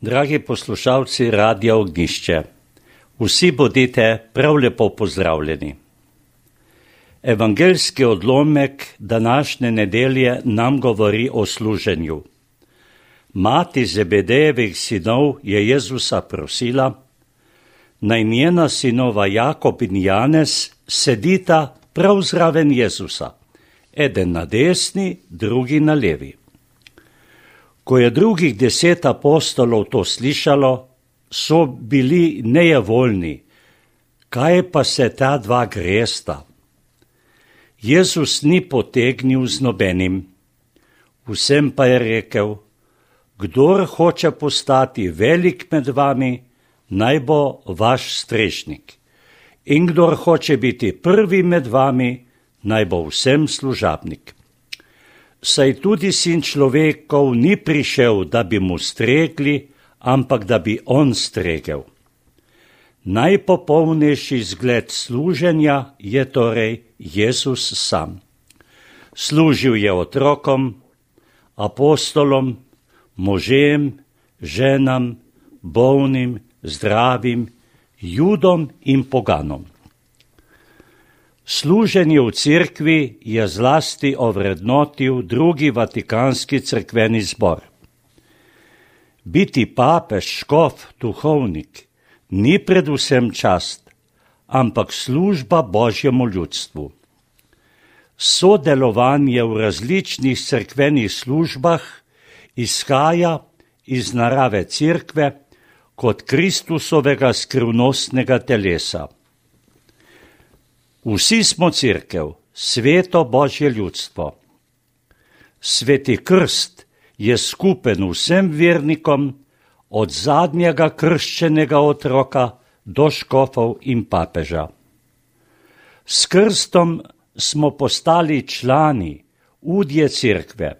Dragi poslušalci Radia Ognjišče, vsi bodite prav lepo pozdravljeni. Evangeljski odlomek današnje nedelje nam govori o služenju. Mati Zebedejevih sinov je Jezusa prosila, naj njena sinova Jakob in Janez sedita prav zraven Jezusa, eden na desni, drugi na levi. Ko je drugih 10 apostolov to slišalo, so bili nejevoljni, kaj pa se ta dva gresta. Jezus ni potegnil z nobenim, vsem pa je rekel, kdor hoče postati velik med vami, naj bo vaš strešnik, in kdor hoče biti prvi med vami, naj bo vsem služabnik. Saj tudi sin človekov ni prišel, da bi mu stregli, ampak da bi on stregel. Najpopolnejši zgled služenja je torej Jezus sam. Služil je otrokom, apostolom, možem, ženam, bolnim, zdravim, Judom in poganom. Služenje v cerkvi je zlasti ovrednotil drugi Vatikanski cerkveni zbor. Biti papež, škof, duhovnik ni predvsem čast, ampak služba Božjemu ljudstvu. Sodelovanje v različnih cerkvenih službah izhaja iz narave cerkve kot Kristusovega skrivnostnega telesa. Vsi smo cerkev, sveto Božje ljudstvo. Sveti krst je skupen vsem vernikom, od zadnjega krščenega otroka do škofov in papeža. S krstom smo postali člani, udje cerkve.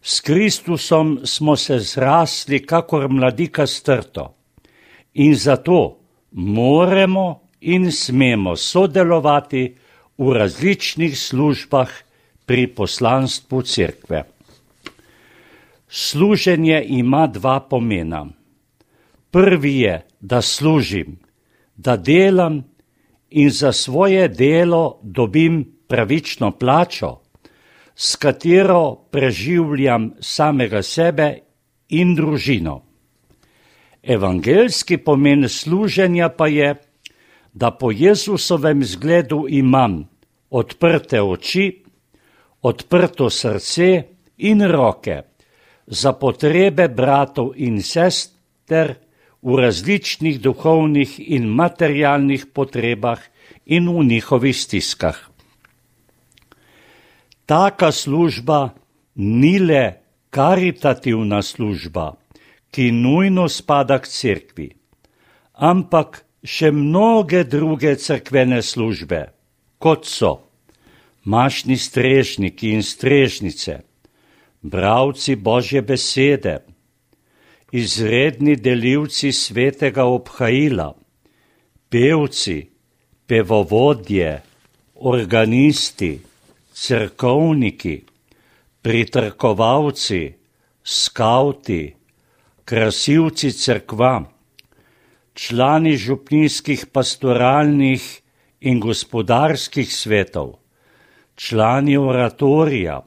S Kristusom smo se zrasli kakor mladika s trto in zato moramo in smemo sodelovati v različnih službah pri poslanstvu cerkve. Služenje ima 2 pomena. Prvi je, da služim, da delam in za svoje delo dobim pravično plačo, s katero preživljam samega sebe in družino. Evangeljski pomen služenja pa je, da po Jezusovem zgledu imam odprte oči, odprto srce in roke za potrebe bratov in sester v različnih duhovnih in materialnih potrebah in v njihovih stiskah. Taka služba ni le karitativna služba, ki nujno spada k cerkvi, ampak še mnoge druge cerkvene službe, kot so mašni strežniki in strežnice, bralci Božje besede, izredni delivci svetega obhajila, pevci, pevovodje, organisti, cerkovniki, pritrkovalci, skavti, krasilci cerkva, člani župnijskih pastoralnih in gospodarskih svetov, člani oratorija,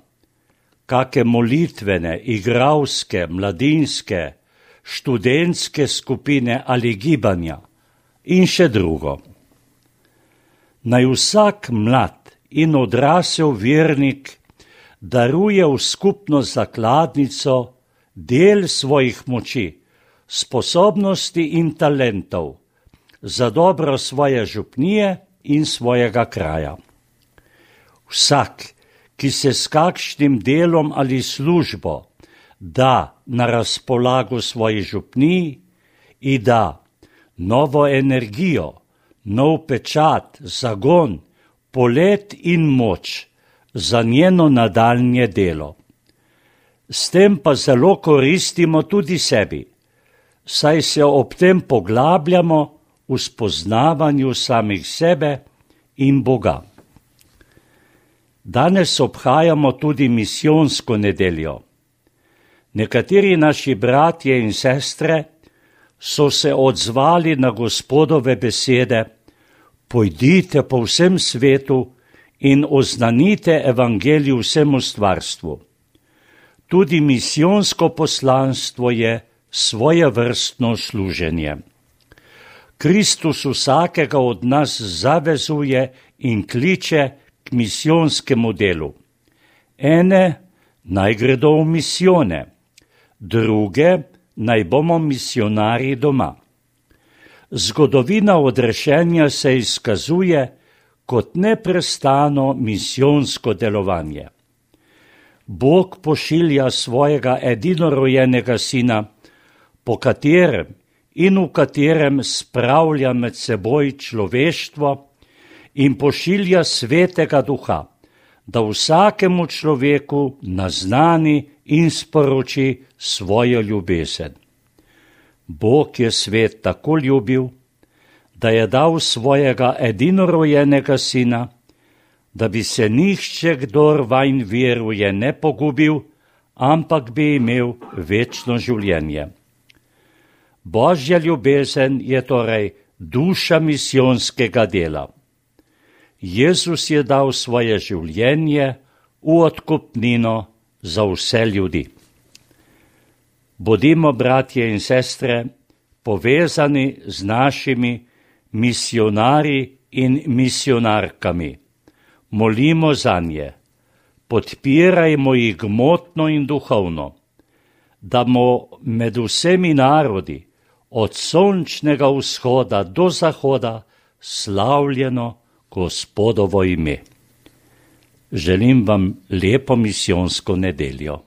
kake molitvene, igralske, mladinske, študentske skupine ali gibanja in še drugo. Naj vsak mlad in odrasel vernik daruje v skupno zakladnico del svojih moči, sposobnosti in talentov za dobro svoje župnije in svojega kraja. Vsak, ki se s kakšnim delom ali službo da na razpolago svoji župniji in da novo energijo, nov pečat, zagon, polet in moč za njeno nadaljnje delo. S tem pa zelo koristimo tudi sebi, saj se ob tem poglabljamo v spoznavanju samih sebe in Boga. Danes obhajamo tudi misijonsko nedeljo. Nekateri naši bratje in sestre so se odzvali na Gospodove besede: pojdite po vsem svetu in oznanite evangelij vsemu stvarstvu. Tudi misijonsko poslanstvo je svojevrstno služenje. Kristus vsakega od nas zavezuje in kliče k misijonskemu delu. Ene naj gredo v misijone, druge naj bomo misionarji doma. Zgodovina odrešenja se izkazuje kot neprestano misijonsko delovanje. Bog pošilja svojega edinorojenega sina, po katerem in v katerem spravlja med seboj človeštvo, in pošilja Svetega Duha, da vsakemu človeku naznani in sporoči svojo ljubezen. Bog je svet tako ljubil, da je dal svojega edinorojenega sina, da bi se nihče, kdor vanj veruje, ne pogubil, ampak bi imel večno življenje. Božja ljubezen je torej duša misijonskega dela. Jezus je dal svoje življenje v odkupnino za vse ljudi. Bodimo, bratje in sestre, povezani z našimi misionarji in misionarkami. Molimo zanje, podpirajmo jih gmotno in duhovno, da bomo med vsemi narodi, od sončnega vzhoda do zahoda, slavljeno Gospodovo ime. Želim vam lepo misijonsko nedeljo.